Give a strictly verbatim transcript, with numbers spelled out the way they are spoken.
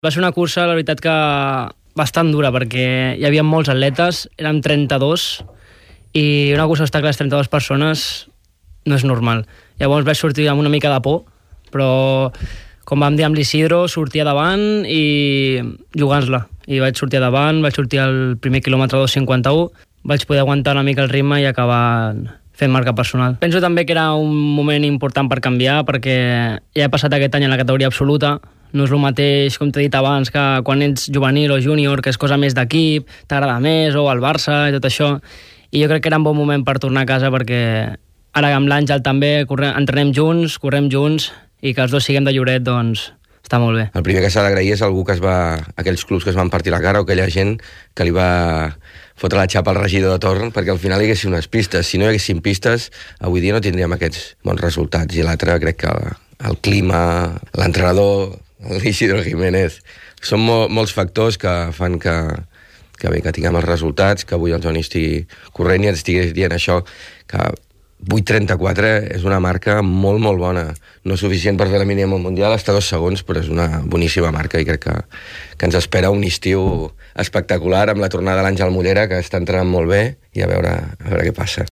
Va ser una cursa, la veritat, que bastant dura, perquè hi havia molts atletes, érem trenta-dos, i una cursa d'obstacles trenta-dues persones no és normal. Llavors vaig sortir amb una mica de por, però com vam dir amb l'Isidro, sortia davant i jugant-la. I vaig sortir davant, vaig sortir al primer quilòmetre dos cinquanta-u, vaig poder aguantar una mica el ritme i acabar fent marca personal. Penso també que era un moment important per canviar, perquè ja he passat aquest any en la categoria absoluta. No és el mateix, com t'he dit abans, que quan ets juvenil o júnior, que és cosa més d'equip, t'agrada més, o al Barça i tot això. I jo crec que era un bon moment per tornar a casa, perquè ara amb l'Àngel també correm, entrenem junts, correm junts, i que els dos siguem de Lloret, doncs està molt bé. El primer que s'ha d'agrair és algú que es va... aquells clubs que es van partir la cara, o aquella gent que li va fotre la xapa al regidor de torn, perquè al final hi haguessin unes pistes. Si no hi haguessin pistes, avui dia no tindríem aquests bons resultats. I l'altre, crec que el, el clima, l'entrenador, l'Isidro Jiménez, són mo molts factors que fan que, que, bé, que tinguem els resultats, que avui el Johnny estigui corrent i ens estigui dient això, que vuit trenta-quatre és una marca molt, molt bona. No és suficient per fer la mínima mundial, està dos segons, però és una boníssima marca i crec que, que ens espera un estiu espectacular amb la tornada de l'Àngel Mollera, que està entrant molt bé, i a veure, a veure què passa.